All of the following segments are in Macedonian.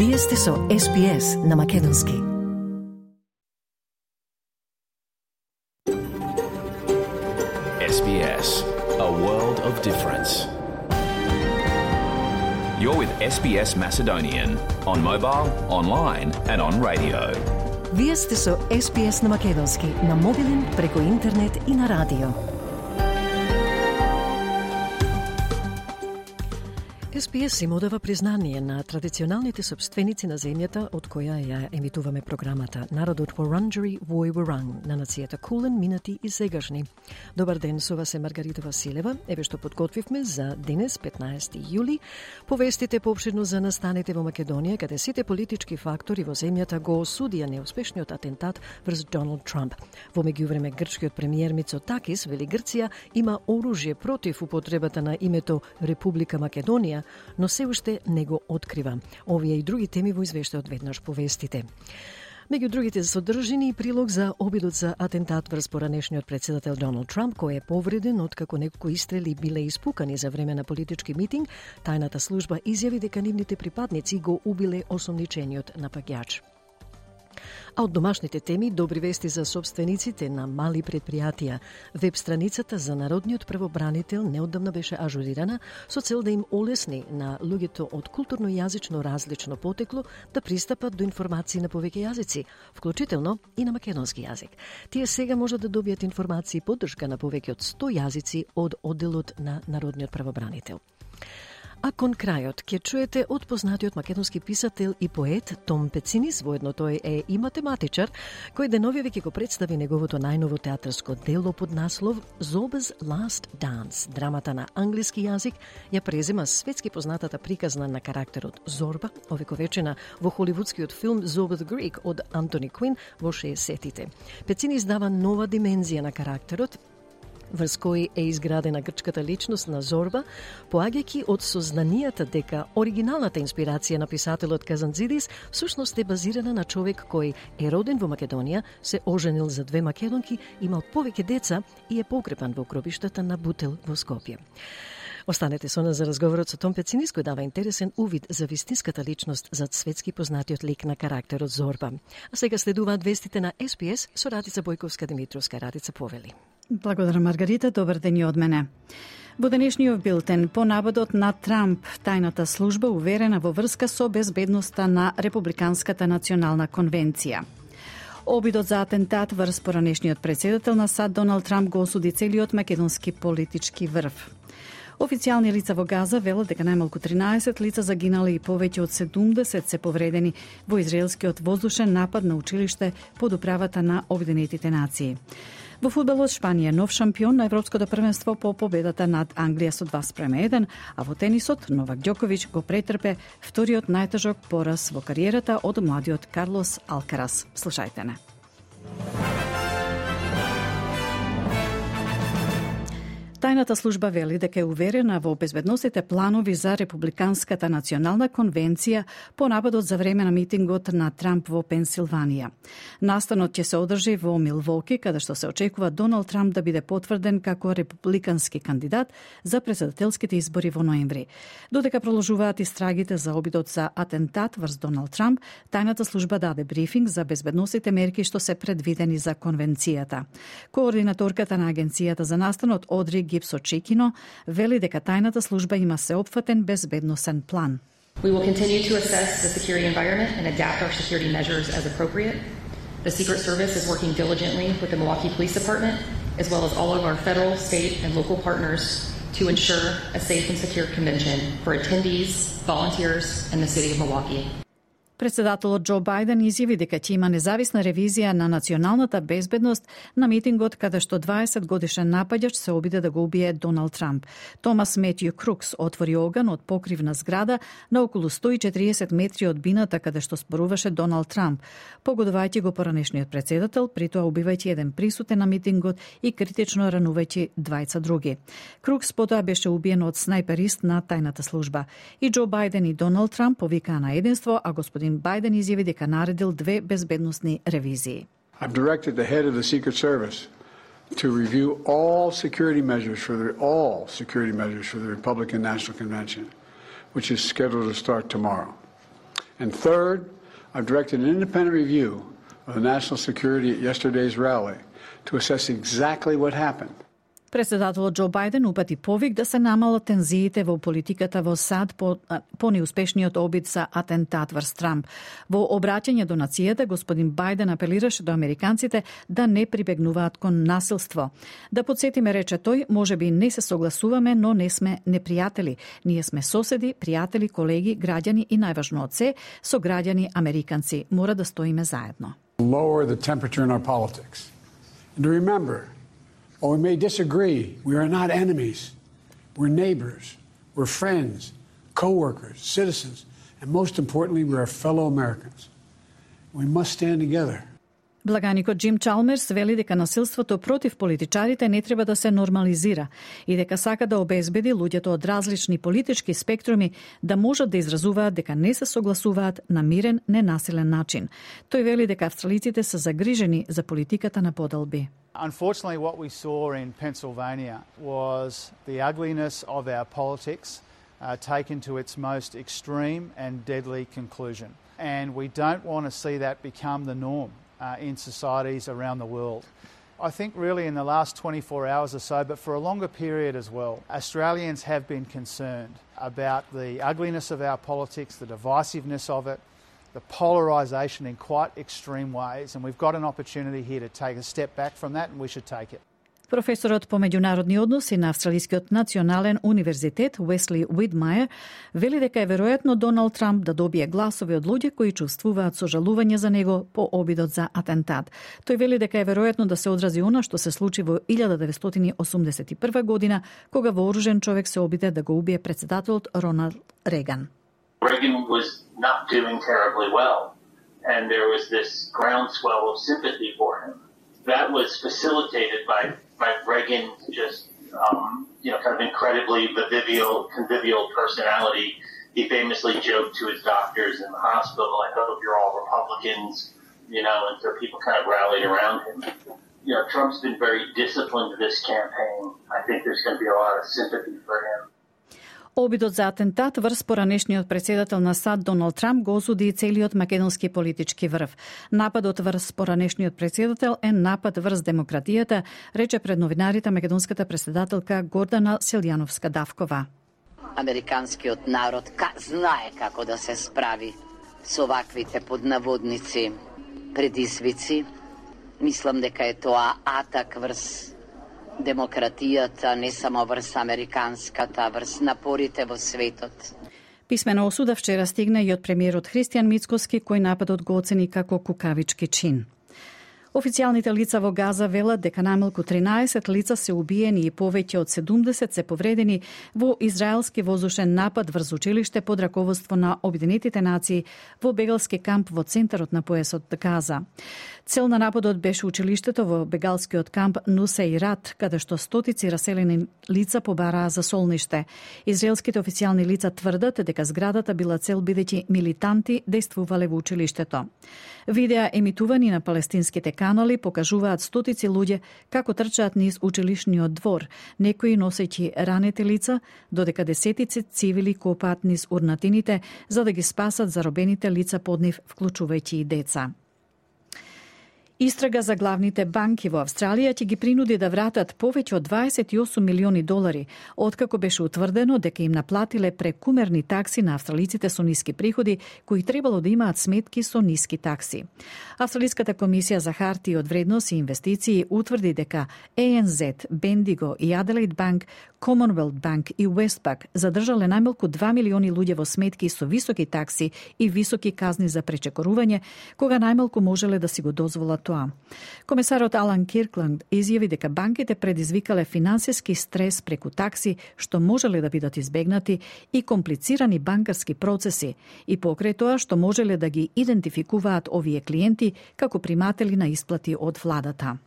Вие сте со SPS на Македонски. SBS, a world of difference. You're with SBS Macedonian on mobile, online and on radio. Вие сте со SPS на Македонски на мобилен, преку интернет и на радио. SPS им одава признание на традиционалните собственици на земјата од која ја емитуваме програмата. Народот Вуранџери вој Вуран на нацијата Кулен, минати и сегашни. Добар ден, со вас е Маргарита Василева. Еве што подготвивме за денес, 15 јули. Повестите поопширно за настаните во Македонија, каде сите политички фактори во земјата го осудија неуспешниот атентат врз Доналд Трамп. Во меѓувреме, грчкиот премиер Мицотакис вели Грција има оружје против употребата на името Република Македонија, но се уште не го открива. Овие и други теми во извештајот веднаш повестите. Меѓу другите содржини и прилог за обидот за атентат врз поранешниот председател Доналд Трамп, кој е повреден откако неколку истрели биле испукани за време на политички митинг. Тајната служба изјави дека нивните припадници го убиле осомничениот напаѓач. А од домашните теми, добри вести за собствениците на мали предпријатија. Веб страницата за Народниот правобранител неодамна беше ажурирана со цел да им олесни на луѓето од културно и јазично различно потекло да пристапат до информации на повеќе јазици, вклучително и на македонски јазик. Тие сега можат да добијат информации и поддршка на повеќе од 100 јазици од одделот на Народниот правобранител. А кон крајот ќе чуете од познатиот македонски писател и поет Том Пецинис, воедно тој е и математичар, кој деновиве ќе го представи неговото најново театарско дело под наслов Zorba's Last Dance. Драмата на англиски јазик ја презема светски познатата приказна на карактерот Зорба, овековечена во холивудскиот филм Zorba the Greek од Антони Квин во 60-тите. Пецинис дава нова димензија на карактерот, врз кој е изградена грчката личност на Зорба, поаѓајќи од сознанијата дека оригиналната инспирација на писателот Казанцидис всушност е базирана на човек кој е роден во Македонија, се оженил за 2 македонки, имал повеќе деца и е погребан во гробиштата на Бутел во Скопје. Останете со нас за разговорот со Том Пецинис, кој дава интересен увид за вистинската личност зад светски познатиот лик на карактерот Зорба. А сега следуваат вестите на SPS со Радица Бојковска-Димитровска. Радица, повели. Благодарам, Маргарита. Добар ден и од мене. Во денешниот билтен, по наводот на Трамп, тајната служба уверена во врска со безбедноста на Републиканската национална конвенција. Обидот за атентат врз поранешниот председател на САД Доналд Трамп го осуди целиот македонски политички врв. Официјални лица во Газа велат дека најмалку 13 лица загинале и повеќе од 70 се повредени во израелскиот воздушен напад на училиште под управата на Обединетите нации. Во фудбалот Шпанија нов шампион на Европското првенство по победата над Англија со 2:1, а во тенисот Новак Ѓоковиќ го претрпе вториот најтежок пораз во кариерата од младиот Карлос Алкарас. Слушајте не. Тајната служба вели дека е уверена во безбедносните планови за Републиканската национална конвенција по нападот за време на митингот на Трамп во Пенсилванија. Настанот ќе се одржи во Милвоки, каде што се очекува Доналд Трамп да биде потврден како републикански кандидат за претседателските избори во ноември. Додека продолжуваат истрагите за обидот за атентат врз Доналд Трамп, тајната служба даде брифинг за безбедносните мерки што се предвидени за конвенцијата. Координаторката на агенцијата за настанот Одри Гипсо Чикино вели дека тајната служба има сеопфатен безбедносен план. We will continue to assess the security environment and adapt our security measures as appropriate. The Secret Service is working diligently with the Milwaukee Police Department, as well as all of our federal, state, and local partners to ensure a safe and secure convention for attendees, volunteers, and the city of Milwaukee. Председателот Џо Бајден изјави дека ќе има независна ревизија на националната безбедност на митингот каде што 20 годишен напаѓач се обиде да го убие Доналд Трамп. Томас Метју Крукс отвори оган од покривна зграда на околу 140 метри од бината каде што зборуваше Доналд Трамп, погодувајќи го поранешниот председател, притоа убивајќи еден присутен на митингот и критично ранувајќи двајца други. Крукс потоа беше убиен од снајперист на тајната служба. И Џо Бајден и Доналд Трамп повикаа на единство, а господин Бајден изјави дека наредил 2 безбедносни ревизии. I've directed the head of the Secret Service to review all security measures for the Republican National Convention, which is scheduled to start tomorrow. And third, I've directed an independent review of the national security at yesterday's rally to assess exactly what happened. Председателот Џо Бајден упати повик да се намалат тензиите во политиката во САД по неуспешниот обид за атентат врз Трамп. Во обраќање до нацијата, господин Бајден апелираше до американците да не прибегнуваат кон насилство. Да подсетиме, рече тој, можеби не се согласуваме, но не сме непријатели. Ние сме соседи, пријатели, колеги, граѓани и најважно од се, сограѓани американци. Мора да стоиме заедно. Lower the temperature in our politics. And to remember, while we may disagree, we are not enemies. We're neighbors, we're friends, co-workers, citizens, and most importantly, we are fellow Americans. We must stand together. Благаникот Џим Чалмерс вели дека насилството против политичарите не треба да се нормализира и дека сака да обезбеди луѓето од различни политички спектруми да можат да изразуваат дека не се согласуваат на мирен, ненасилен начин. Тој вели дека австралиците се загрижени за политиката на поделби. Unfortunately, what we saw in Pennsylvania was the ugliness of our politics taken to its most extreme and deadly conclusion. And we don't want to see that become the norm in societies around the world. I think really in the last 24 hours or so, but for a longer period as well, Australians have been concerned about the ugliness of our politics, the divisiveness of it, the polarisation in quite extreme ways, and we've got an opportunity here to take a step back from that, and we should take it. Професорот по меѓународни односи на Австралискиот национален универзитет Уесли Уидмајер вели дека е веројатно Доналд Трамп да добие гласови од луѓе кои чувствуваат сожалување за него по обидот за атентат. Тој вели дека е веројатно да се одрази она што се случи во 1981 година, кога вооружен човек се обиде да го убие председателот Роналд Реган. Reagan was not doing terribly well, and there was this groundswell of sympathy for him. That was facilitated by Reagan's just, kind of incredibly convivial personality. He famously joked to his doctors in the hospital, I hope you're all Republicans, and so people kind of rallied around him. Trump's been very disciplined this campaign. I think there's going to be a lot of sympathy for him. Обидот за атентат врз поранешниот председател на САД Доналд Трамп го осуди и целиот македонски политички врв. Нападот врз поранешниот председател е напад врз демократијата, рече пред новинарите македонската председателка Гордана Селјановска-Давкова. Американскиот народ знае како да се справи со ваквите поднаводници предизвици. Мислам дека е тоа атак врз демократијата, не само врз американската, врз напорите во светот. Писмена осуда вчера стигна и од премиерот Христијан Мицкоски, кој нападот го оцени како кукавички чин. Официјалните лица во Газа велат дека најмалку 13 лица се убиени и повеќе од 70 се повредени во израелски воздушен напад врз училиште под раководство на Обединетите нации во бегалски камп во центарот на поесот Газа. Цел на нападот беше училиштето во бегалскиот камп Нусейрат, каде што стотици раселени лица побараа за солниште. Израелските официјални лица тврдат дека зградата била цел бидејќи милитанти дејствувале во училиштето. Видеа емитувани на палестинските канали покажуваат стотици луѓе како трчаат низ училишниот двор, некои носејќи ранети лица, додека десетици цивили копаат низ урнатините за да ги спасат заробените лица под нив, вклучувајќи и деца. Истрага за главните банки во Австралија ќе ги принуди да вратат повеќе од 28 милиони долари, откако беше утврдено дека им наплатиле прекумерни такси на австралиците со ниски приходи, кои требало да имаат сметки со ниски такси. Австралиската комисија за хартии од вредност и инвестиции утврди дека ANZ, Bendigo и Adelaide Bank, Commonwealth Bank и Westpac задржале најмалку 2 милиони луѓе во сметки со високи такси и високи казни за пречекорување, кога најмалку можеле да си го дозволат тоа. Комесарот Алан Киркланд изјави дека банките предизвикале финансиски стрес преку такси што можеле да бидат избегнати и комплицирани банкарски процеси и покрај тоа што можеле да ги идентификуваат овие клиенти како приматели на исплати од владата.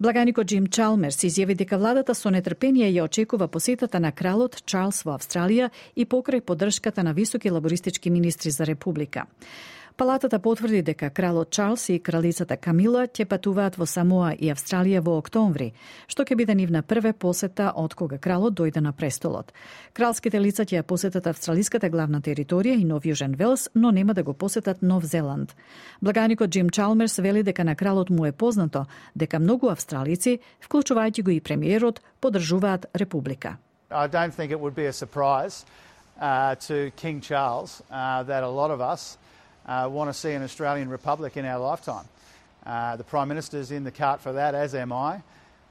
Благаникот Џим Чалмерс изјави дека владата со нетрпение ја очекува посетата на кралот Чарлс во Австралија и покрај поддршката на високи лабористички министри за република. Палатата потврди дека кралот Чарлс и кралицата Камила ќе патуваат во Самоа и Австралија во октомври, што ќе биде нивна прва посета од кога кралот дојде на престолот. Кралските лица ќе ја посетат австралиската главна територија и Нов Јужен Велс, но нема да го посетат Нов Зеланд. Благаникот Джим Чалмерс вели дека на кралот му е познато дека многу австралици, вклучувајќи го и премиерот, поддржуваат република. I don't think it would be a surprise to King Charles that a lot of us want to see an Australian republic in our lifetime. The Prime Minister's in the cart for that, as am I,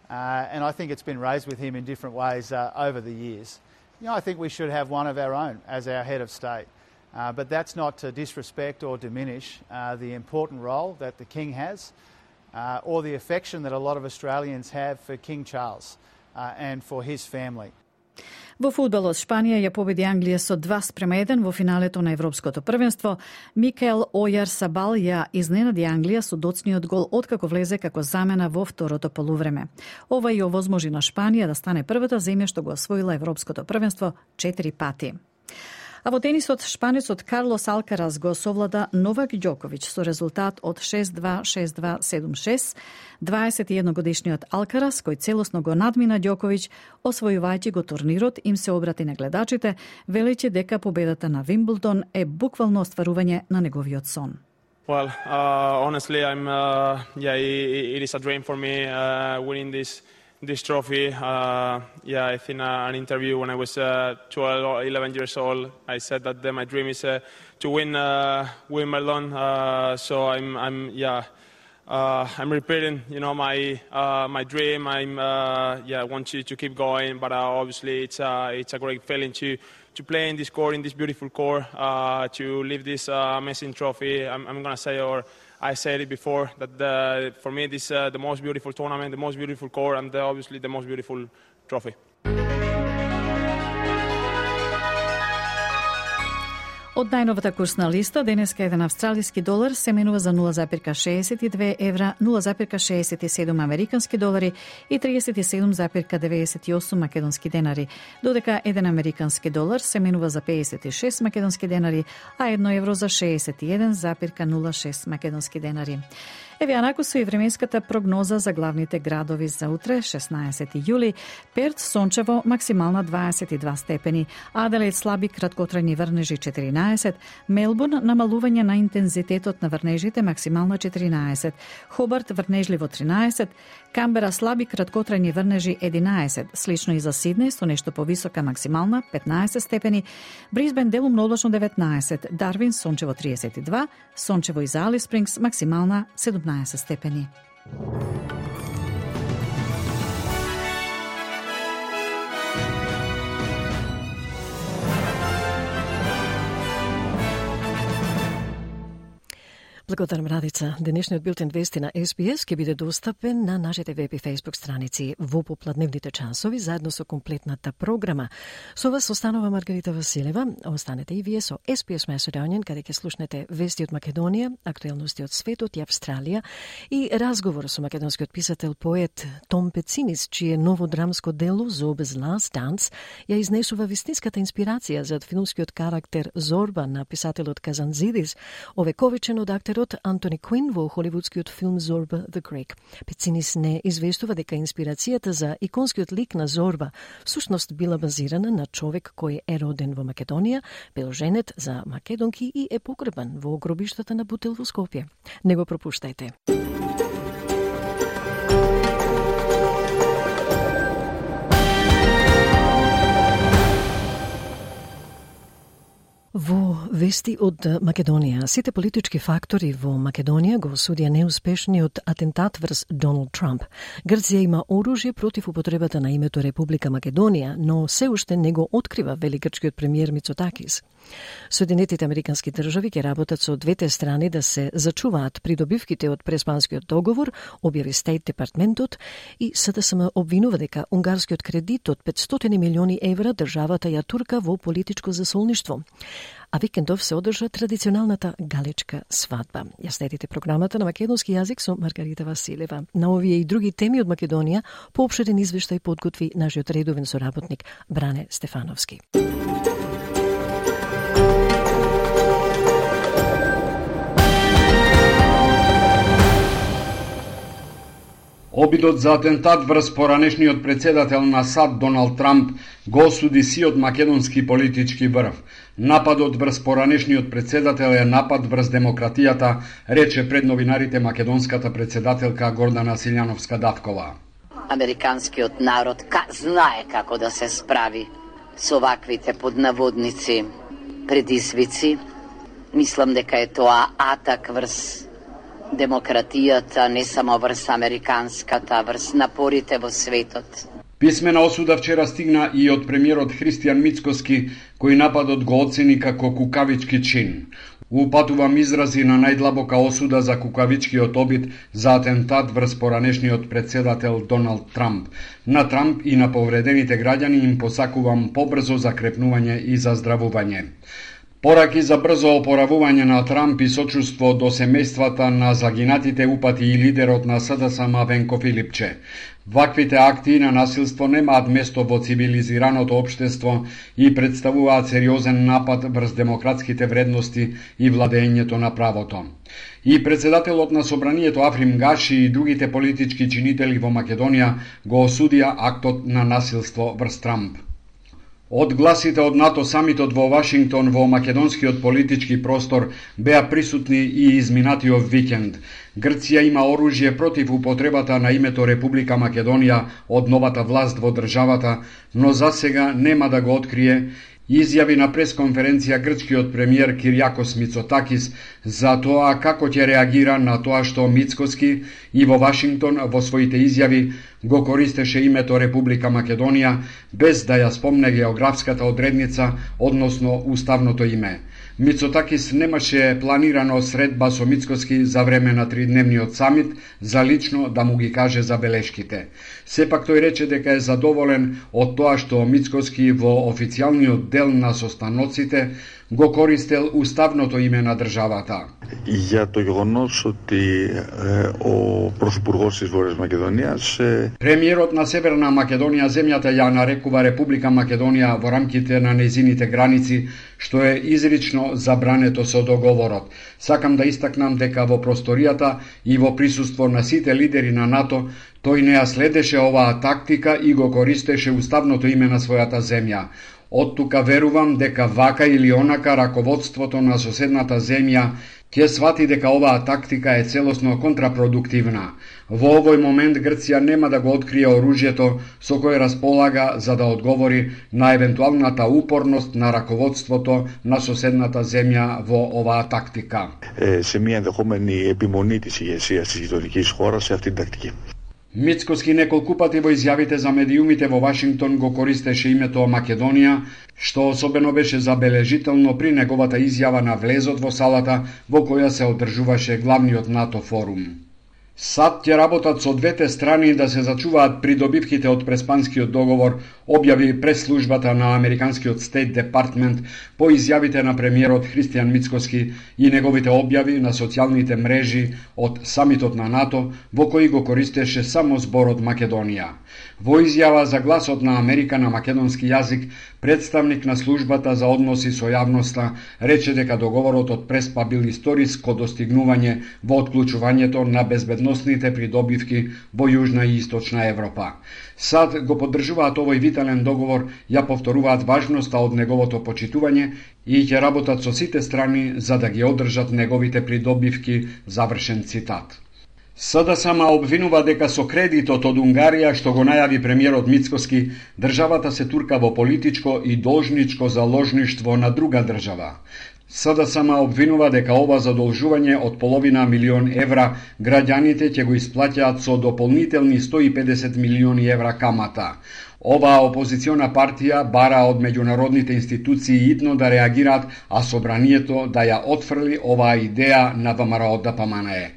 and I think it's been raised with him in different ways over the years. I think we should have one of our own as our head of state, but that's not to disrespect or diminish the important role that the King has or the affection that a lot of Australians have for King Charles and for his family. Во фудбалот Шпанија ја победи Англија со 2-1 во финалето на Европското првенство. Микел Ојар-Сабал ја изненади Англија со доцниот гол откако влезе како замена во второто полувреме. Ова и овозможи на Шпанија да стане првата земја што го освоила Европското првенство 4 пати. А во тенисот, шпанецот Карлос Алкарас го совлада Новак Ѓоковиќ со резултат од 6-2, 6-2, 7-6. 21-годишниот Алкарас, кој целосно го надмина Ѓоковиќ, освојувајќи го турнирот, им се обрати на гледачите, велејќи дека победата на Вимблдон е буквално остварување на неговиот сон. Well, honestly, it is a dream for me winning this trophy. I think an interview when I was 12 or 11 years old, I said that my dream is to win Wimbledon. So I'm repeating, my dream. I want to keep going, but obviously it's a great feeling to play in this court, in this beautiful court, to lift this amazing trophy. I'm gonna say, or I said it before, that for me this is the most beautiful tournament, the most beautiful court, and obviously the most beautiful trophy. Од најновата курсна листа, денеска еден австралиски долар се менува за 0,62 евра, 0,67 американски долари и 37,98 македонски денари, додека еден американски долар се менува за 56 македонски денари, а 1 евро за 61,06 македонски денари. Еве анаку со и временската прогноза за главните градови за утре, 16 јули. Перт сончево, максимална 22 степени, Аделаид слаби краткотрајни врнежи 14, Мелбурн намалување на интензитетот на врнежите, максимална 14, Хобарт врнежливо 13, Камбера слаби краткотрајни врнежи 11, слично и за Сиднеј со нешто повисока максимална 15 степени, Брисбен делумно облачно 19, Дарвин сончево 32, сончево и за Алис Спрингс максимална 17 степени. Благодарам, Радица. Денешниот билтен вести на SBS ќе биде достапен на нашите веб и фейсбук страници во попладневните часови, заедно со комплетната програма. Со вас останува Маргарита Василева. Останете и вие со SBS Macedonian, каде ќе слушнете вести од Македонија, актуелности од светот и Австралија и разговор со македонскиот писател, поет Том Пецинис, чие ново драмско дело Zorba's Last Dance ја изнесува вистинската инспирација за филмскиот карактер Зорба на писателот Казанзидис, овековечен од актерот Антони Куин во холивудскиот филм Зорба the Greek. Пецинис не известува дека инспирацијата за иконскиот лик на Зорба всушност била базирана на човек кој е роден во Македонија, бил женет за македонки и е погребан во гробиштата на Бутел во Скопје. Не го пропуштајте. Во вести од Македонија, сите политички фактори во Македонија го осудија неуспешниот атентат врз Доналд Трамп. Грција има оружје против употребата на името Република Македонија, но се уште не го открива, вели грчкиот премиер Мицотакис. Соединетите американски држави ќе работат со двете страни да се зачуваат придобивките од преспанскиот договор, објави Стейт департментот, и СДСМ обвинува дека унгарскиот кредит од 500 милиони евра државата ја турка во политичко засолништво. А викендов се одржа традиционалната галечка свадба. Ја следите програмата на македонски јазик со Маргарита Василева. На овие и други теми од Македонија поопширен извештај подготви нашиот редовен соработник Бране Стефановски. Обидот за атентат врз поранешниот председател на САД Доналд Трамп го осуди сиот македонски политички врв. Нападот врз поранешниот председател е напад врз демократијата, рече пред новинарите македонската председателка Гордана Силјановска-Давкова. Американскиот народ знае како да се справи со ваквите поднаводници предизвици. Мислам дека е тоа атак врз демократијата, не само врз американската, врз напорите во светот. Писмена осуда вчера стигна и од премиерот Христијан Мицкоски, кој нападот го оцени како кукавички чин. Упатувам изрази на најдлабока осуда за кукавичкиот обид за атентат врз поранешниот председател Доналд Трамп. На Трамп и на повредените граѓани им посакувам побрзо закрепнување и заздравување. Пораки за брзо опоравување на Трамп и сочувство до семејствата на загинатите упати и лидерот на СДСМ Венко Филипче. Ваквите акти на насилство немаат место во цивилизираното општество и представуваат сериозен напад врз демократските вредности и владењето на правото. И председателот на Собранието Африм Гаши и другите политички чинители во Македонија го осудија актот на насилство врз Трамп. Од гласите од НАТО самитот во Вашингтон во македонскиот политички простор беа присутни и изминатиот викенд. Грција има оружје против употребата на името Република Македонија од новата власт во државата, но засега нема да го открие, изјави на пресконференција грчкиот премиер Киријакос Мицотакис за тоа како ќе реагира на тоа што Мицкоски и во Вашингтон во своите изјави го користеше името Република Македонија без да ја спомне географската одредница, односно уставното име. Мицотакис немаше планирано средба со Мицкоски за време на тридневниот самит за лично да му ги каже забелешките. Сепак тој рече дека е задоволен од тоа што Мицкоски во официјалниот дел на состаноците го користел уставното име на државата. Για το γεγονός ότι ο Πρωθυπουργός της Βόρειας Μακεδονίας... Премиерот на Северна Македонија земјата ја нарекува Република Македонија во рамките на нејзините граници, што е изрично забрането со договорот. Сакам да истакнам дека во просторијата и во присуство на сите лидери на НАТО, тој не ја следеше оваа тактика и го користеше уставното име на својата земја. Од тука верувам дека вака или онака раководството на соседната земја ќе свати дека оваа тактика е целосно контрапродуктивна. Во овој момент Грција нема да го открие оружјето со кое располага за да одговори на евентуалната упорност на раководството на соседната земја во оваа тактика. Σε μια ενδεχόμενη επιμονή της ηγεσίας της γειτονικής χώρας σε αυτήν την τακτική. Мицкоски неколку пати во изјавите за медиумите во Вашингтон го користеше името Македонија, што особено беше забележително при неговата изјава на влезот во салата во која се одржуваше главниот НАТО форум. САД ќе работат со двете страни да се зачуваат придобивките од Преспанскиот договор, објави пресслужбата на Американскиот Стейт Департмент по изјавите на премиерот Христијан Мицкоски и неговите објави на социјалните мрежи од самитот на НАТО, во кој го користеше само зборот Македонија. Во изјава за гласот на Америка на македонски јазик, представник на службата за односи со јавноста рече дека договорот од Преспа бил историско достигнување во отклучувањето на безбедносните придобивки во Јужна и Источна Европа. САД го поддржуваат овој витален договор, ја повторуваат важноста од неговото почитување и ќе работат со сите страни за да ги одржат неговите придобивки, завршен цитат. СДСМ обвинува дека со кредитот од Унгарија што го најави премиерот Мицкоски, државата се турка во политичко и должничко заложништво на друга држава. СДСМ обвинува дека ова задолжување од половина милион евра граѓаните ќе го исплаќаат со дополнителни 150 милиони евра камата. Оваа опозициона партија бара од меѓународните институции итно да реагираат, а Собранието да ја отфрли оваа идеја на ВМРО ДПМНЕ.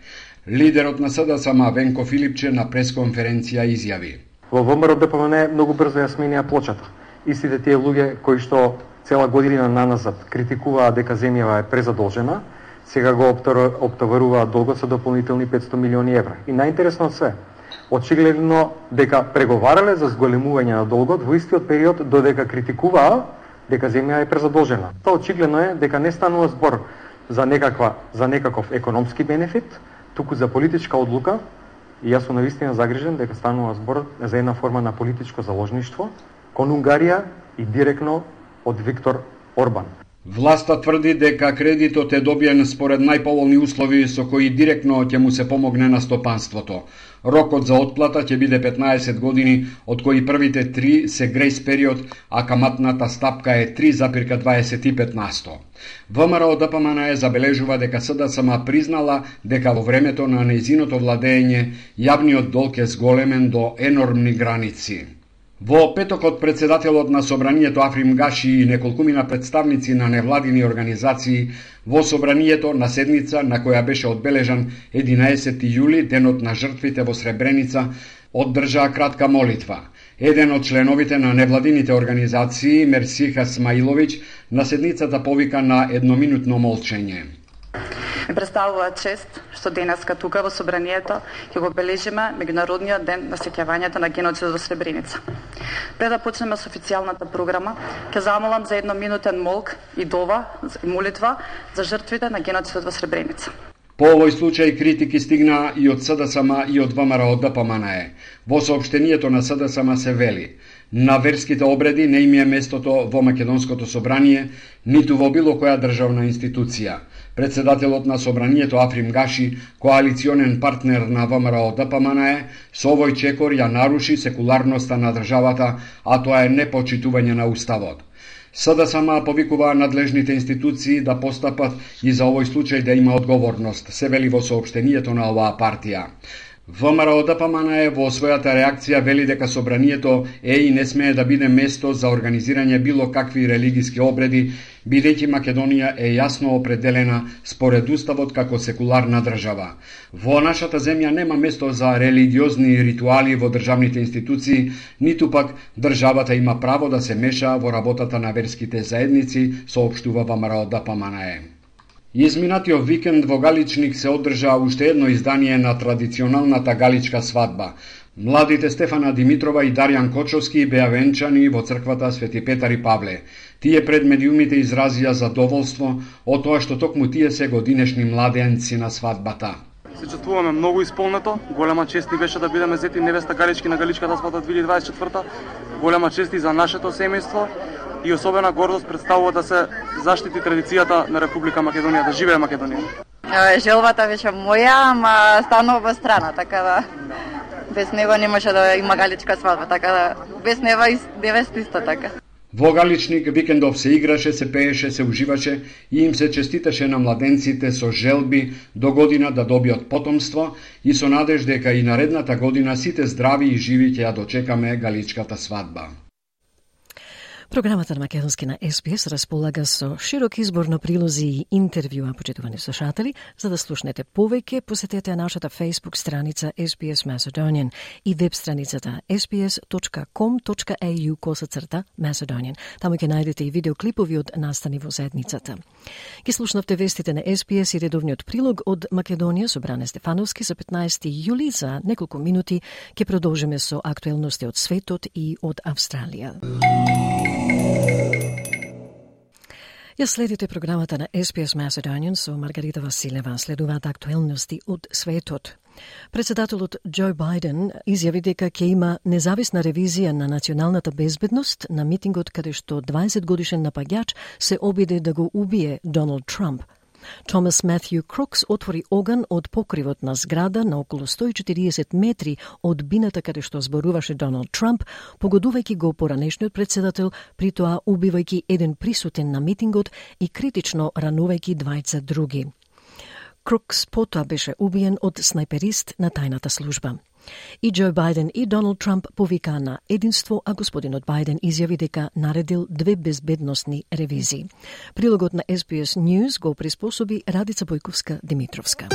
Лидерот на СДСМ Венко Филипче на пресконференција изјави: Во ВМРО ДПМНЕ многу брзо ја сменија плочата. Истите тие луѓе кои што цела година наназад критикуваат дека земјава е презадолжена, сега го оптоваруваат долгот со дополнителни 500 милиони евра. И најинтересно од све, очигледно дека преговарале за зголемување на долгот во истиот период додека критикуваа дека земја е презадолжена. Тоа очигледно е дека не станува збор за некаков економски бенефит, туку за политичка одлука И јас сум навистина загрижен дека станува збор за една форма на политичко заложништво кон Унгарија и директно од Виктор Орбан. Власта тврди дека кредитот е добиен според најповолни услови со кои директно ќе му се помогне на стопанството. Рокот за отплата ќе биде 15 години, од кои првите 3 се грејс период, а каматната стапка е 3,25%. ВМРО ДПМН забележува дека СДСМ признала дека во времето на нејзиното владење јавниот долг е зголемен до енормни граници. Во петокот председателот на Собранието Африм Гаши и неколкумина представници на невладини организации во Собранието на седница на која беше одбележан 11 јули, денот на жртвите во Сребреница, одржаа кратка молитва. Еден од членовите на невладините организации, Мерсиха Смаиловиќ, на седницата повика на едноминутно молчење. Ми представува чест што денеска тука во Собранието ќе го бележиме Меѓународниот ден на сеќавањето на геноцидот во Сребреница. Пред да почнеме со официјалната програма, ќе замолам за едноминутен молк и дова и молитва за жртвите на геноцидот во Сребреница. По овој случај критики стигна и од СДСМ и од ВМРО ДПМН. Во соопштението на СДСМ се вели: на верските обреди не им е местото во Македонското собрание, ниту во било која државна институција. Председателот на Собранието Африм Гаши, коалиционен партнер на ВМРО ДПМН, со овој чекор ја наруши секуларноста на државата, а тоа е непочитување на уставот. СДСМ повикува надлежните институции да постапат и за овој случај да има одговорност, се вели во соопштението на оваа партија. ВМРО ДПМН во својата реакција вели дека Собранието е и не смее да биде место за организирање било какви религиски обреди, бидејќи Македонија е јасно определена според уставот како секуларна држава. Во нашата земја нема место за религиозни ритуали во државните институции, ниту пак државата има право да се меша во работата на верските заедници, соопштува ВМРО ДПМН. Изминатиот викенд во Галичник се одржа уште едно издание на традиционалната галичка свадба. Младите Стефана Димитрова и Дарјан Кочовски беа венчани во црквата Свети Петар и Павле. Тие пред медиумите изразија задоволство од тоа што токму тие се годинешни младенци на свадбата. Се чувствуваме многу исполнето. Голема чест ни беше да бидеме зети невеста Галички на галичката свадба 2024. Голема чест и за нашето семејство и особена гордост представува да се заштити традицијата на Република Македонија, да живее Македонија. Желбата беше моја, ама станува страна, така да без него не може да има галичка свадба, така да без нева и невеста исто така. Во Галичник викендов се играше, се пееше, се уживаше и им се честиташе на младенците со желби до година да добијат потомство и со надеж дека и наредната година сите здрави и живи ќе ја дочекаме галичката свадба. Програмата на Македонски на СПС располага со широк избор на прилози и интервјуа, почитувани слушатели. За да слушнете повеќе, посетете нашата Facebook страница SPS Macedonian и веб страницата sps.com.au/Macedonian. Таму ќе најдете и видеоклипови од настани во заедницата. Ке слушнавте вестите на SPS и редовниот прилог од Македонија со Бране Стефановски за 15 јули. За неколку минути ќе продолжиме со актуелности од светот и од Австралија. Ја следите програмата на SPS Macedonian со Маргарита Василева. Следуваат актуелности од светот. Председателот Џо Бајден изјави дека ќе има независна ревизија на националната безбедност на митингот каде што 20-годишен напаѓач се обиде да го убие Доналд Трамп. Томас Матју Крукс отвори оган од покривот на зграда на околу 140 метри од бината каде што зборуваше Доналд Трамп, погодувајќи го поранешниот председател, при тоа убивајќи еден присутен на митингот и критично ранувајќи двајца други. Крукс потоа беше убиен од снајперист на тајната служба. И Џо Бајден и Доналд Трамп повикаа на единство, а господинот Бајден изјави дека наредил 2 безбедносни ревизии. Прилогот на SBS News го приспособи Радица Бојковска-Димитровска.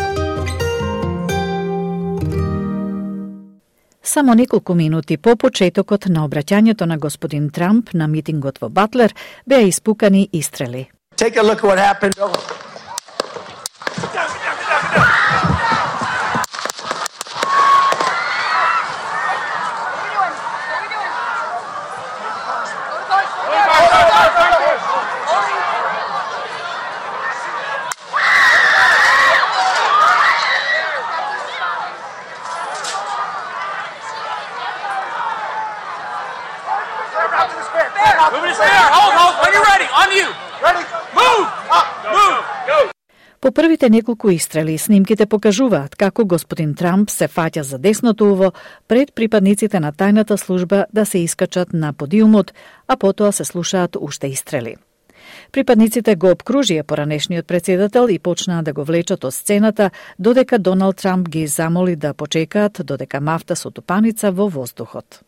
Само неколку минути по почетокот на обраќањето на господин Трамп на митингот во Батлер беа испукани истрели. Take a look at what happened. you. Ready? Move. Up. Move. Go. По првите неколку истрели, снимките покажуваат како господин Трамп се фаќа за десното уво пред припадниците на тајната служба да се искачат на подиумот, а потоа се слушаат уште истрели. Припадниците го обкружија поранешниот председател и почнаа да го влечат од сцената, додека Доналд Трамп ги замоли да почекаат додека мафта со тупаница во воздухот.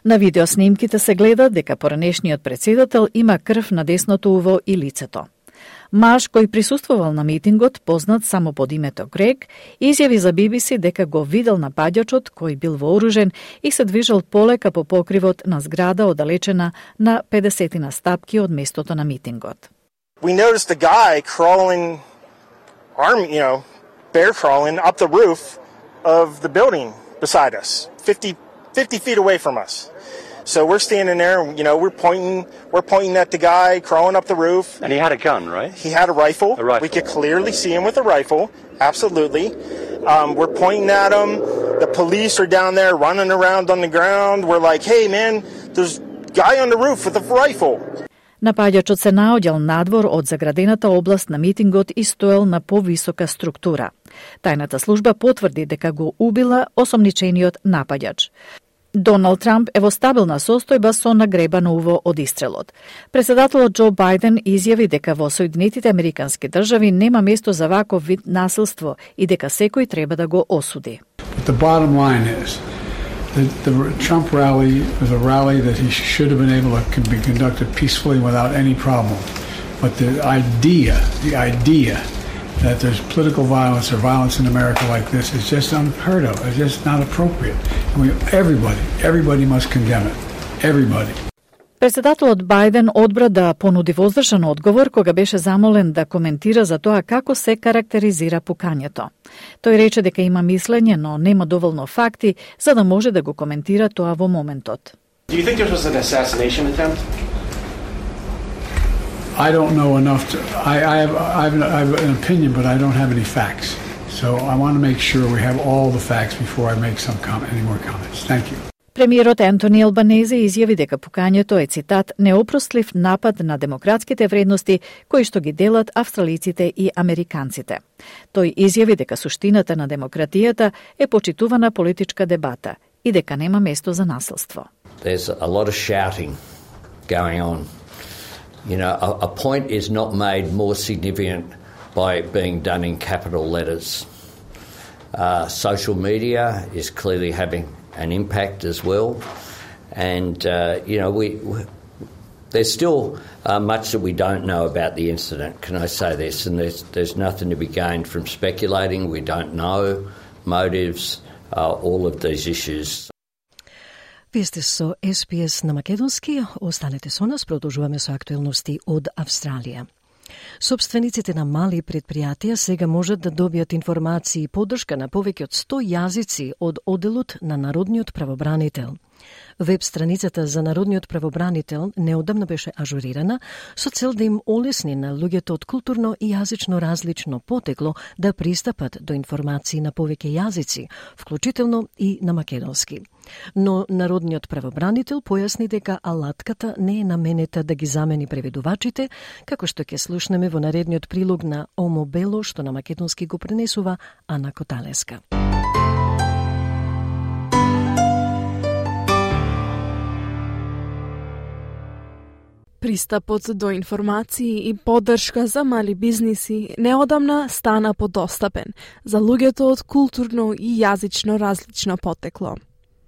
На видеоснимките се гледа дека поранешниот председател има крв на десното уво и лицето. Маж кој присуствувал на митингот, познат само под името Грег, изјави за BBC дека го видел напаѓачот кој бил вооружен и се движел полека по покривот на зграда оддалечена на 50 стапки од местото на митингот. We noticed a guy crawling, bear crawling up the roof of the building beside us, 50 feet away from us. So we're standing there, we're pointing at the guy crawling up the roof. And he had a gun, right? He had a rifle. We could clearly see him with a rifle, absolutely. We're pointing at him. The police are down there running around on the ground. We're like, hey man, there's a guy on the roof with a rifle. Напаѓачот се наоѓал надвор од заградената област на митингот и стоел на повисока структура. Тајната служба потврди дека го убила осомничениот напаѓач. Доналд Трамп е во стабилна состојба со нагребано уво од истрелот. Председателот Џо Бајден изјави дека во Соединетите Американски држави нема место за ваков вид насилство и дека секој треба да го осуди. The bottom line is the Trump rally was a rally that he should have been able to be conducted peacefully without any problem. But the idea that there's political violence or violence in America like this is just unheard of. It's just not appropriate. And everybody must condemn it. Everybody. Председателот Бајден одбра да понуди воздржан одговор кога беше замолен да коментира за тоа како се карактеризира пукањето. Тој рече дека има мислење, но нема доволно факти за да може да го коментира тоа во моментот. Do you think this was an assassination attempt? I don't know enough to. I have an opinion, but I don't have any facts. So I want to make sure we have all the facts before I make any more comments. Thank you. Премиерот Ентони Албанезе изјави дека пукањето е, цитат, неопростлив напад на демократските вредности кои што ги делат австралиците и американците. Тој изјави дека суштината на демократијата е почитувана политичка дебата и дека нема место за насилство. There's a lot of shouting going on. A point is not made more significant by being done in capital letters. Social media is clearly having an impact as well. And, there's still much that we don't know about the incident, can I say this? And there's nothing to be gained from speculating. We don't know motives, all of these issues. Вие сте со SPS на македонски. Останете со нас, продолжуваме со актуелности од Австралија. Собствениците на мали предпријатија сега можат да добијат информации и поддршка на повеќе од 100 јазици од одделот на Народниот правобранител. Веб страницата за Народниот правобранител неодамна беше ажурирана со цел да им олесни на луѓето од културно и јазично различно потекло да пристапат до информации на повеќе јазици, вклучително и на македонски. Но Народниот правобранител појасни дека алатката не е наменета да ги замени преведувачите, како што ќе слушнеме во наредниот прилог на Омо Бело, што на македонски го пренесува Ана Коталеска. Пристапот до информации и поддршка за мали бизниси неодамна стана подостапен за луѓето од културно и јазично различно потекло.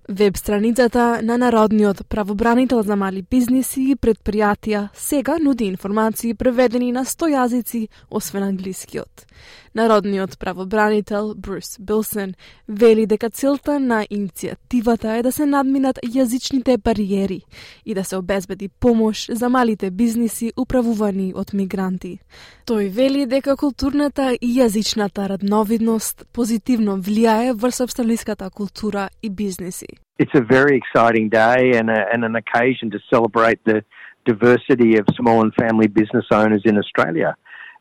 Веб страницата на Народниот правобранител за мали бизниси и предпријатија сега нуди информации преведени на 100 јазици, освен англискиот. Народниот правобранител Брус Билсон вели дека целта на иницијативата е да се надминат јазичните бариери и да се обезбеди помош за малите бизниси управувани од мигранти. Тој вели дека културната и јазичната радновидност позитивно влијае врз австралиската култура и бизниси. It's a very exciting day and an occasion to celebrate the diversity of small and family business owners in Australia.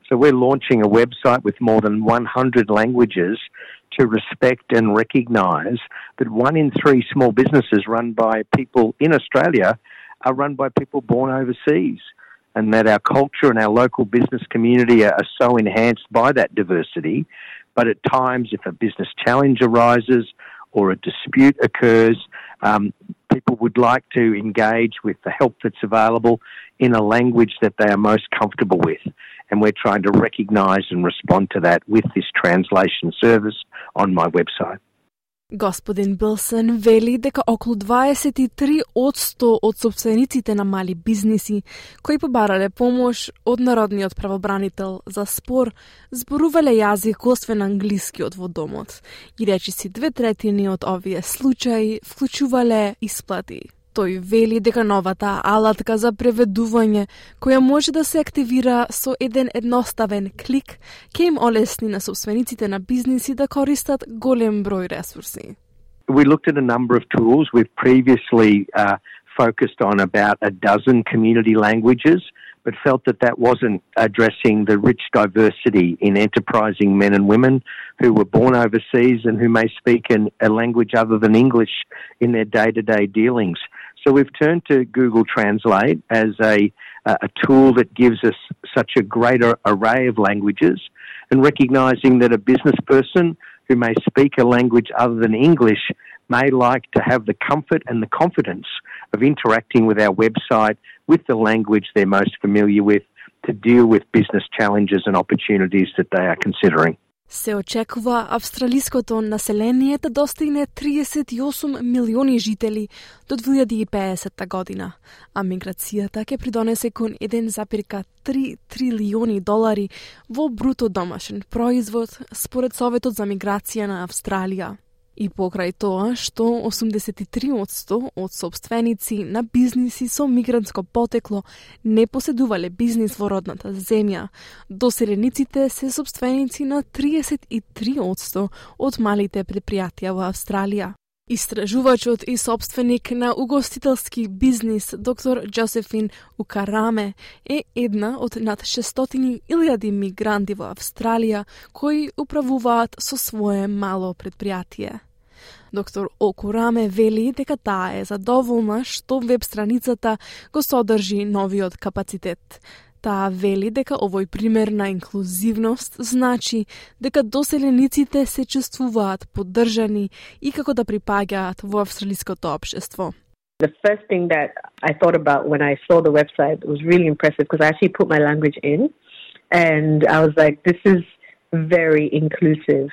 So we're launching a website with more than 100 languages to respect and recognise that 1 in 3 small businesses run by people in Australia are run by people born overseas, and that our culture and our local business community are so enhanced by that diversity. But at times, if a business challenge arises or a dispute occurs, people would like to engage with the help that's available in a language that they are most comfortable with. And we're trying to recognise and respond to that with this translation service on my website. Господин Билсън вели дека околу 23% од собствениците на мали бизниси кои побарале помош од Народниот правобранител за спор зборувале јазик освен англискиот во домот и речиси 2/3 од овие случаи вклучувале исплати. Тој вели дека новата алатка за преведување, која може да се активира со еден едноставен клик, ќе им олесни на собствениците на бизниси да користат голем број ресурси. We looked at a number of tools. We've previously focused on about a dozen community languages, but felt that that wasn't addressing the rich diversity in enterprising men and women who were born overseas and who may speak a language other than English in their day-to-day dealings. So we've turned to Google Translate as a tool that gives us such a greater array of languages, and recognising that a business person who may speak a language other than English may like to have the comfort and the confidence of interacting with our website with the language they're most familiar with to deal with business challenges and opportunities that they are considering. Се очекува австралиското население да достигне 38 милиони жители до 2050 година, а миграцијата ќе придонесе кон 1,3 трилиони долари во бруто домашен производ според Советот за миграција на Австралија. И покрај тоа што 83% од собственици на бизниси со мигрантско потекло не поседувале бизнис во родната земја, доселениците се собственици на 33% од малите предпријатија во Австралија. Истражувачот и собственик на угостителски бизнис доктор Джозефин Укараме е една од над 600,000 мигранти во Австралија кои управуваат со свое мало предпријатие. Доктор Окураме вели дека таа е задоволна што веб страницата го содржи новиот капацитет. Таа вели дека овој пример на инклузивност значи дека доселениците се чувствуваат поддржани и како да припаѓаат во австралиското општество. The first thing that I thought about when I saw the website was really impressive because I actually put my language in and I was like, this is very inclusive.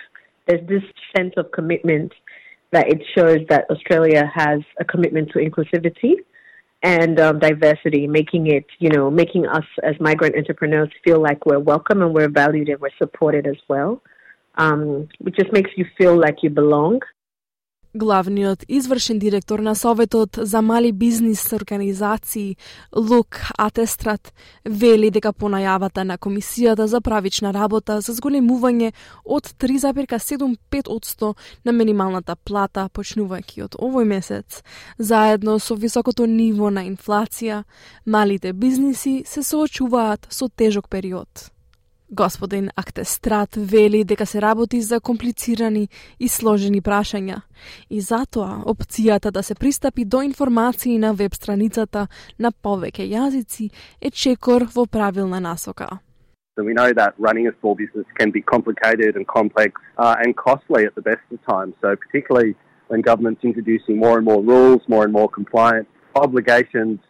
There's this sense of commitment that it shows that Australia has a commitment to inclusivity and diversity, making us as migrant entrepreneurs feel like we're welcome and we're valued and we're supported as well. It just makes you feel like you belong. Главниот извршен директор на Советот за мали бизнис организации Лук Атестрат вели дека по најавата на Комисијата за правична работа за зголемување од 3,75% на минималната плата почнувајќи од овој месец, заедно со високото ниво на инфлација, малите бизниси се соочуваат со тежок период. Господин Актестрат вели дека се работи за комплицирани и сложени прашања и затоа опцијата да се пристапи до информации на веб страницата на повеќе јазици е чекор во правилна насока. So we know that running a small business can be complicated and complex and costly at the best of times. So particularly when government's introducing more and more rules, more and more compliance obligations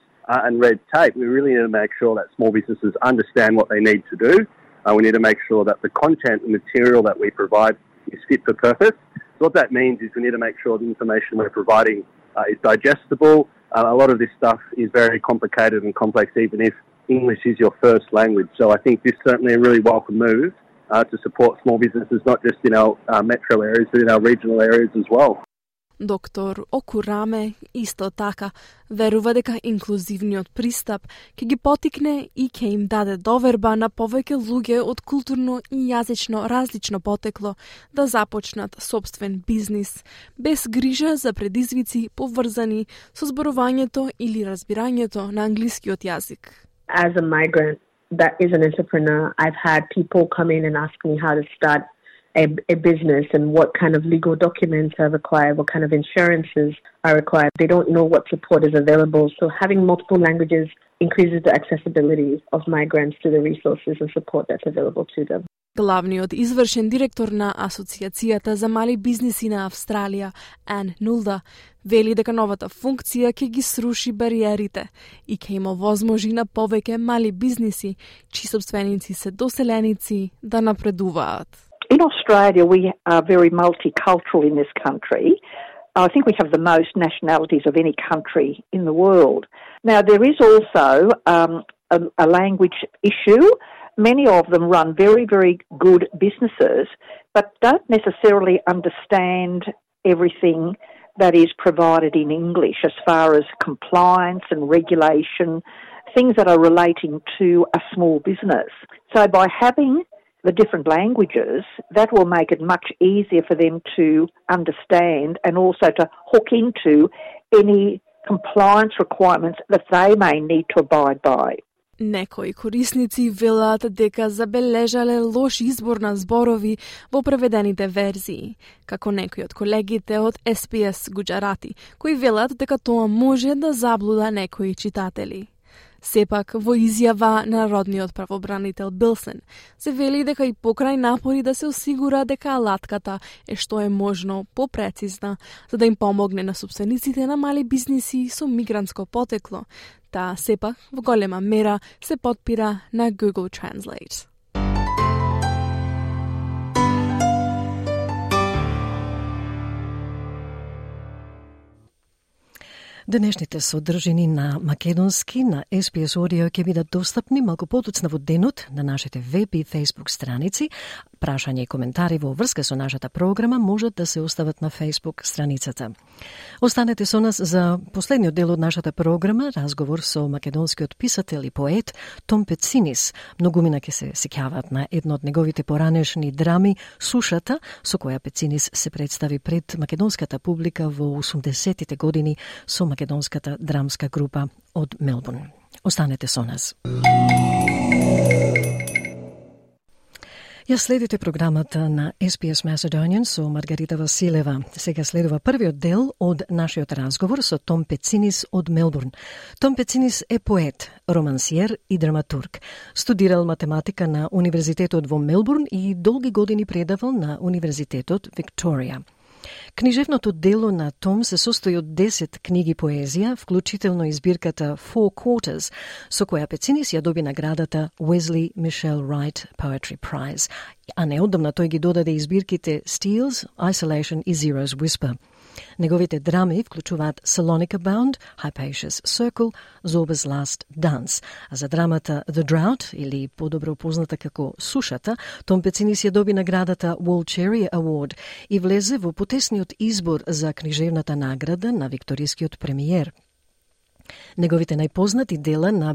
and red tape, we really need to make sure that small businesses understand what they need to do. We need to make sure that the content and material that we provide is fit for purpose. So what that means is we need to make sure the information we're providing is digestible. A lot of this stuff is very complicated and complex, even if English is your first language. So I think this is certainly a really welcome move to support small businesses, not just in our metro areas, but in our regional areas as well. Доктор Окураме исто така верува дека инклузивниот пристап ќе ги потикне и ќе им даде доверба на повеќе луѓе од културно и јазично различно потекло да започнат собствен бизнис, без грижа за предизвици поврзани со зборувањето или разбирањето на англискиот јазик. As a migrant, that is an entrepreneur. I've had people come in and ask me how to start a business and what kind of legal documents are required, what kind of insurances are required. They don't know what support is available. So having multiple languages increases the accessibility of migrants to the resources and support that's available to them. Главниот извршен директор на Асоциацијата за мали бизниси на Австралија, Ан Нулда, вели дека новата функција ќе ги сруши бариерите и ќе има возможи на повеќе мали бизниси, чии собственици се доселеници, да напредуваат. In Australia, we are very multicultural in this country. I think we have the most nationalities of any country in the world. Now, there is also a language issue. Many of them run very, very good businesses, but don't necessarily understand everything that is provided in English as far as compliance and regulation, things that are relating to a small business. So by having the different languages, that will make it much easier for them to understand and also to hook into any compliance requirements that they may need to abide by. Некои корисници велат дека забележале лош избор на зборови во преведените верзии, како некои од колегите од SPS Gujarati, кои велат дека тоа може да заблуда некои читатели. Сепак, во изјава на народниот правобранител Билсен, се вели дека и покрај напори да се осигура дека алатката е што е можно попрецизна, за да им помогне на собствениците на мали бизниси со мигрантско потекло, таа сепак во голема мера се потпира на Google Translate. Денешните содржини на македонски на SPS Audio ќе бидат достапни малку подоцна во денот на нашите веб и Facebook страници. Прашања и коментари во врска со нашата програма можат да се остават на Facebook страницата. Останете со нас за последниот дел од нашата програма, разговор со македонскиот писател и поет Том Пецинис. Многумина ќе се сеќаваат на едно од неговите поранешни драми Сушата, со која Пецинис се представи пред македонската публика во 80-тите години со македонската драмска група од Мелбурн. Останете со нас. Ја следите програмата на SPS Macedonian со Маргарита Василева. Сега следува првиот дел од нашиот разговор со Том Пецинис од Мелбурн. Том Пецинис е поет, романсиер и драматург. Студирал математика на Универзитетот во Мелбурн и долги години предавал на Универзитетот Викторија. Книжевното дело на Том се состои од 10 книги поезија, вклучително и збирката Four Quarters, со која Пецинис ја доби наградата Wesley Michelle Wright Poetry Prize, а неодамна тој ги додаде и збирките Steals, Isolation и Zero's Whisper. Неговите драми вклучуваат Salonika Bound, Hypatia's Circle, Zorba's Last Dance. А за драмата The Drought, или подобро позната како Сушата, Том Пецинис ја доби наградата Walcheri Award и влезе во потесниот избор за книжевната награда на викторискиот премиер. Неговите најпознати дела на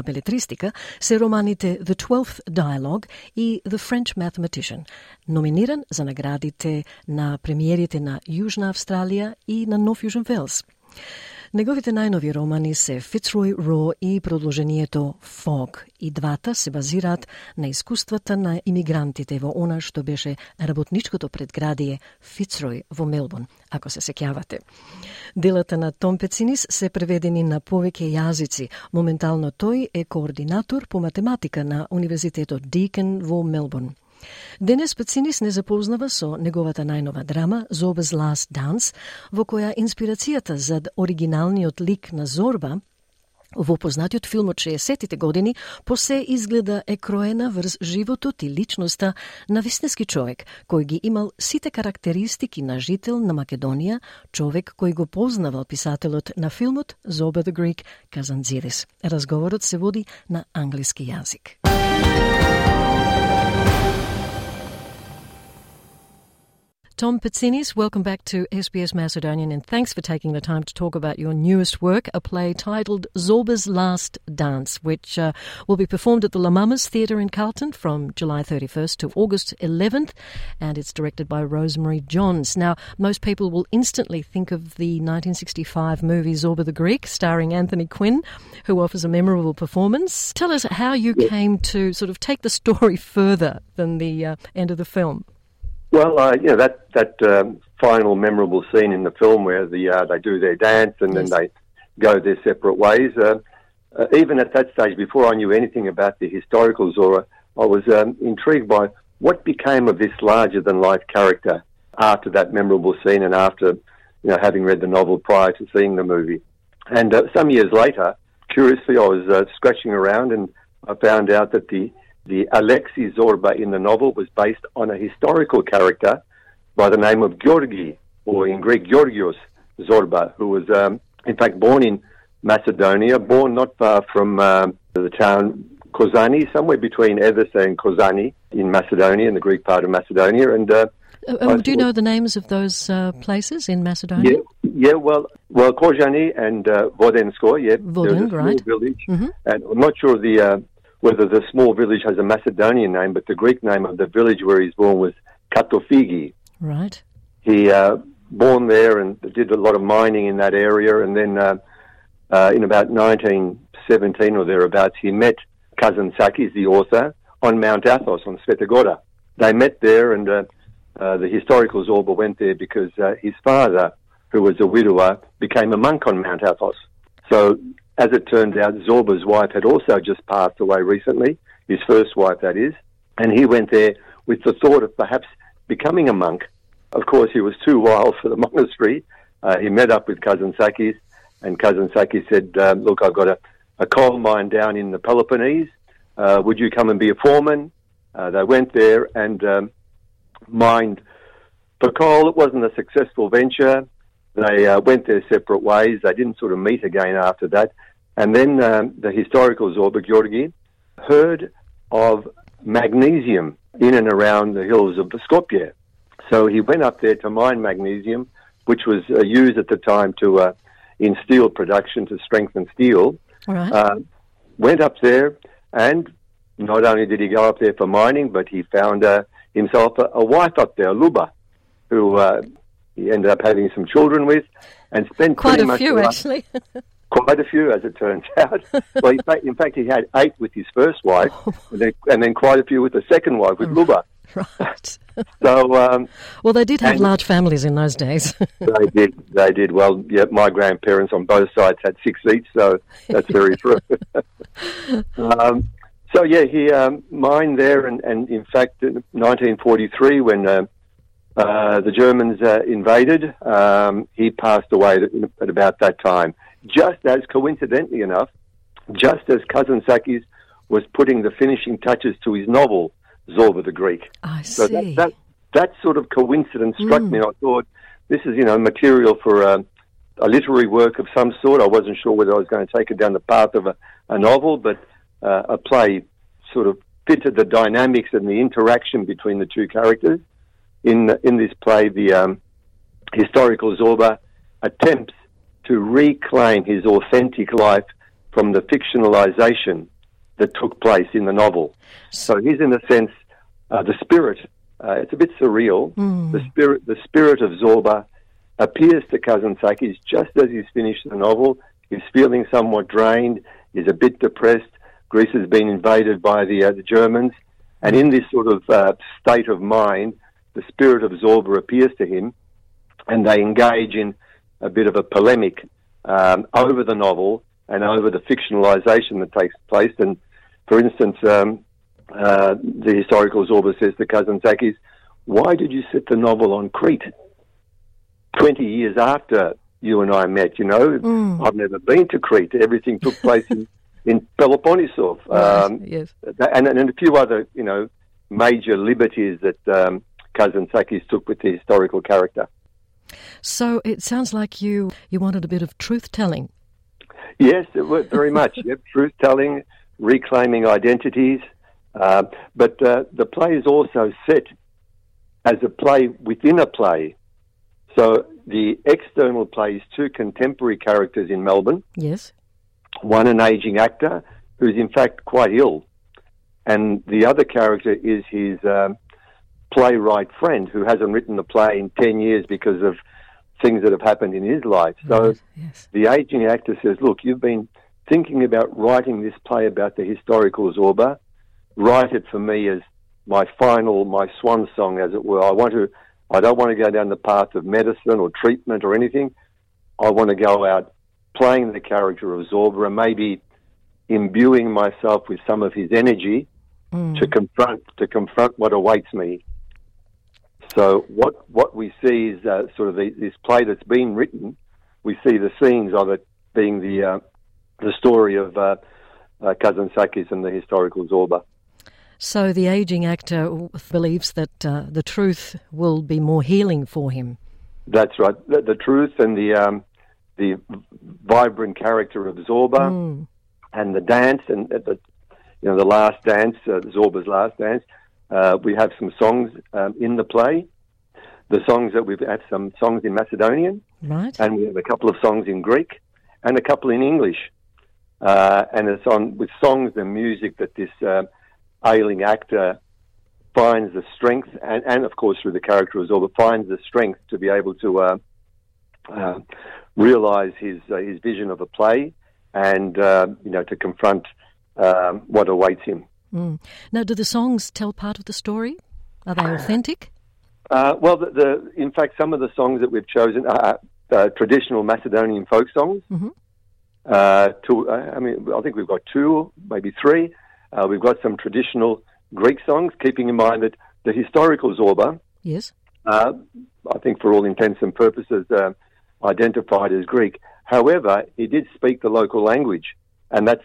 белетристика се романите The Twelfth Dialogue и The French Mathematician, номиниран за наградите на премиерите на Јужна Австралија и на Нов Јужен Велс. Неговите најнови романи се Fitzroy Raw и продолжението Fog. И двата се базираат на искуствата на имигрантите во она што беше работничкото предградие Fitzroy во Мелбурн, ако се сеќавате. Делата на Том Пецинис се преведени на повеќе јазици. Моментално тој е координатор по математика на Универзитетот Deakin во Мелбурн. Денес Пецинис не запознава со неговата најнова драма Zorba's Last Dance, во која инспирацијата за оригиналниот лик на Зорба во познатиот филм од 60-тите години посе изгледа е кроена врз животот и личноста на вистински човек, кој ги имал сите карактеристики на жител на Македонија, човек кој го познавал писателот на филмот Zorba the Greek Kazantzidis. Разговорот се води на англиски јазик. Tom Pitsinis, welcome back to SBS Macedonian, and thanks for taking the time to talk about your newest work, a play titled Zorba's Last Dance, which will be performed at the La Mamas Theatre in Carlton from July 31st to August 11th, and it's directed by Rosemary Johns. Now, most people will instantly think of the 1965 movie Zorba the Greek, starring Anthony Quinn, who offers a memorable performance. Tell us how you came to sort of take the story further than the end of the film. Well, that final memorable scene in the film where they do their dance and then they go their separate ways. Even at that stage, before I knew anything about the historical Zorba, I was intrigued by what became of this larger-than-life character after that memorable scene and after having read the novel prior to seeing the movie. And some years later, curiously, I was scratching around and I found out that the Alexei Zorba in the novel was based on a historical character by the name of Georgi, or in Greek, Georgios Zorba, who was, in fact, born in Macedonia, born not far from the town Kozani, somewhere between Edessa and Kozani in Macedonia, in the Greek part of Macedonia. And do you know the names of those places in Macedonia? Well, Kozani and Vodensko, Voden, right. Village. Mm-hmm. And I'm not sure whether the small village has a Macedonian name, but the Greek name of the village where he's born was Katofigi. Right. He born there and did a lot of mining in that area, and then in about 1917 or thereabouts, he met Kazantzakis, the author, on Mount Athos, on Sveta Gora. They met there, and the historical Zorba went there because his father, who was a widower, became a monk on Mount Athos. So, as it turned out, Zorba's wife had also just passed away recently, his first wife, that is, and he went there with the thought of perhaps becoming a monk. Of course, he was too wild for the monastery. He met up with Kazantzakis, and Kazantzakis said, look, I've got a coal mine down in the Peloponnese. Would you come and be a foreman? They went there and mined for coal. It wasn't a successful venture. They went their separate ways. They didn't sort of meet again after that. And then the historical Zorba, Georgi, heard of magnesium in and around the hills of Skopje. So he went up there to mine magnesium, which was used at the time in steel production to strengthen steel. Right. Went up there, and not only did he go up there for mining, but he found himself a wife up there, Luba, who he ended up having some children with, and spent quite pretty a few, actually. Quite a few, as it turns out. Well, in fact, he had 8 with his first wife, and then quite a few with the second wife, with Luba. Right. So, well, they did have large families in those days. They did. Well, yeah, my grandparents on both sides had 6 each, so that's very true. So, yeah, he mined there, and in fact, in 1943, when the Germans invaded, he passed away at about that time. Just as, coincidentally enough, just as Kazantzakis was putting the finishing touches to his novel, Zorba the Greek. I see. So that sort of coincidence struck me. I thought, this is, material for a literary work of some sort. I wasn't sure whether I was going to take it down the path of a novel, but a play sort of fitted the dynamics and the interaction between the two characters. In this play, the historical Zorba attempts to reclaim his authentic life from the fictionalization that took place in the novel. So he's, in a sense, the spirit. It's a bit surreal. The spirit of Zorba appears to Kazantzakis just as he's finished the novel. He's feeling somewhat drained. He's a bit depressed. Greece has been invaded by the Germans, and in this sort of state of mind, the spirit of Zorba appears to him, and they engage in a bit of a polemic over the novel and over the fictionalization that takes place. And, for instance, the historical Zorba says to Kazantzakis, why did you set the novel on Crete 20 years after you and I met? I've never been to Crete. Everything took place in Peloponnesos. Yes. And a few other, major liberties that Kazantzakis took with the historical character. So it sounds like you wanted a bit of truth-telling. Yes, very much. Yep, truth-telling, reclaiming identities. But the play is also set as a play within a play. So the external play is two contemporary characters in Melbourne. Yes. One an aging actor who's in fact quite ill, and the other character is his playwright friend who hasn't written the play in 10 years because of things that have happened in his life. So the aging actor says, look, you've been thinking about writing this play about the historical Zorba. Write it for me as my swan song, as it were. I don't want to go down the path of medicine or treatment or anything. I want to go out playing the character of Zorba and maybe imbuing myself with some of his energy to confront what awaits me. So what we see is sort of this play that's been written. We see the scenes of it being the story of Kazantzakis and the historical Zorba. So the aging actor believes that the truth will be more healing for him. That's right. The truth and the vibrant character of Zorba and the dance and the last dance, Zorba's last dance. We have some songs in the play. The songs that we've had some songs in Macedonian, right? And we have a couple of songs in Greek and a couple in English. And it's on with songs and music that this ailing actor finds the strength, and of course through the character of Zorba, finds the strength to be able to realise his vision of a play and to confront what awaits him. Now, do the songs tell part of the story? Are they authentic? Well, in fact, some of the songs that we've chosen are traditional Macedonian folk songs. Mm-hmm. I think we've got 2, maybe 3. We've got some traditional Greek songs, keeping in mind that the historical Zorba, yes, I think for all intents and purposes, identified as Greek. However, he did speak the local language, and that's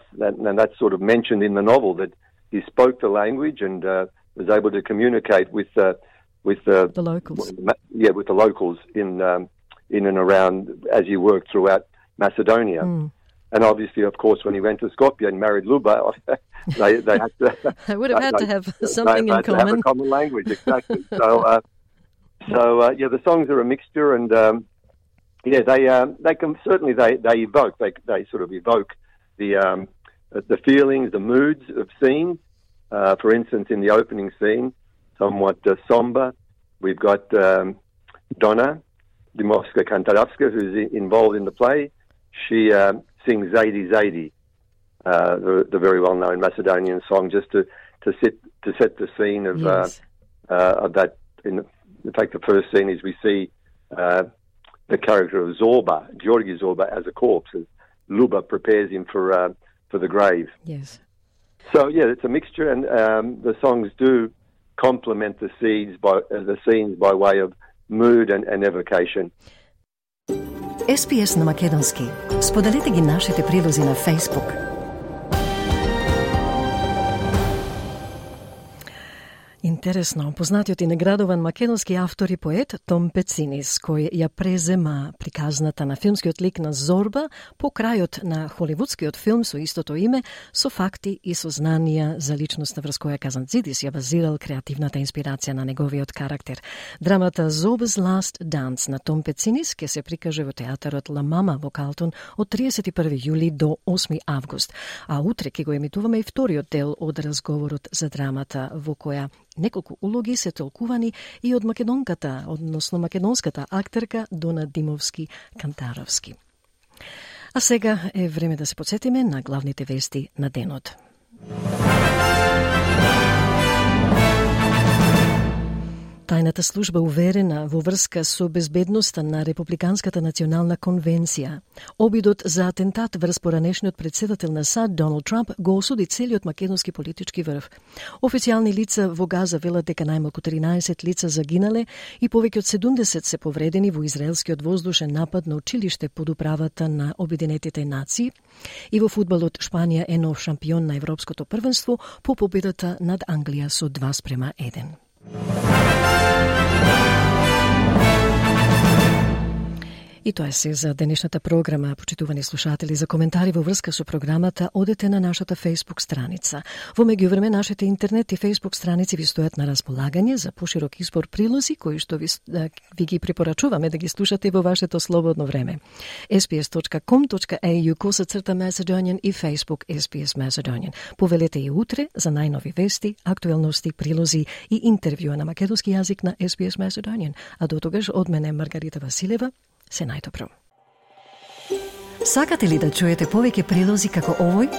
sort of mentioned in the novel that he spoke the language and was able to communicate with the locals. With the locals in and around as he worked throughout Macedonia. And obviously, of course, when he went to Skopje and married Luba, they had to. They would have had to have something in common. To have a common language, exactly. So the songs are a mixture, and they can certainly they evoke they sort of evoke the feelings, the moods of scenes. For instance, in the opening scene, somewhat somber, we've got Donna Dimovska Kantarovska, who's involved in the play. She sings Zaidi Zaidi, the very well-known Macedonian song, just to set the scene of that. In fact, the first scene is we see the character of Zorba, Georgi Zorba, as a corpse, as Luba prepares him for the grave. Yes. So it's a mixture, and the songs do complement the scenes by way of mood and evocation. SPS на македонски. Споделете ги нашите прилози на Facebook. Интересно, познатиот и наградуван македонски автор и поет Том Пецинис, кој ја презема приказната на филмскиот лик на Зорба по крајот на холивудскиот филм со истото име, со факти и со знанија за личноста врз која Kazantzidis ја базирал креативната инспирација на неговиот карактер. Драмата Zorba's Last Dance на Том Пецинис ќе се прикаже во театарот La Mama во Калтон од 31 јули до 8 август, а утре ќе го емитуваме и вториот дел од разговорот за драмата во која неколку улоги се толкувани и од македонката, односно македонската актерка Дона Димовски Кантаровски. А сега е време да се подсетиме на главните вести на денот. Тајната служба уверена во врска со безбедноста на Републиканската национална конвенција. Обидот за атентат врз поранешниот председател на САД Доналд Трамп го осуди целиот македонски политички врв. Официјални лица во Газа велат дека најмалку 13 лица загинале и повеќе од 70 се повредени во израелскиот воздушен напад на училиште под управата на Обединетите нации. И во фудбалот Шпанија е нов шампион на Европското првенство по победата над Англија со 2:1. И тоа е се за денешната програма, почитувани слушатели. За коментари во врска со програмата, одете на нашата Facebook страница. Во меѓувреме, нашите интернет и Facebook страници ви стојат на располагање за поширок избор прилози, кои што ви ги препорачуваме да ги слушате во вашето слободно време. sbs.com.au/Macedonian и Facebook SBS Macedonian. Повелете и утре за најнови вести, актуелности, прилози и интервјуа на македонски јазик на SBS Macedonian. А до тогаш од мене Маргарита Василева, се најдобро. Сакате ли да чуете повеќе прилози како овој?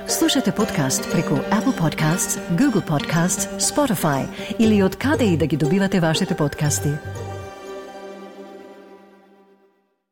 Слушате подкаст преку Apple Podcasts, Google Podcasts, Spotify или од каде и да ги добивате вашите подкасти.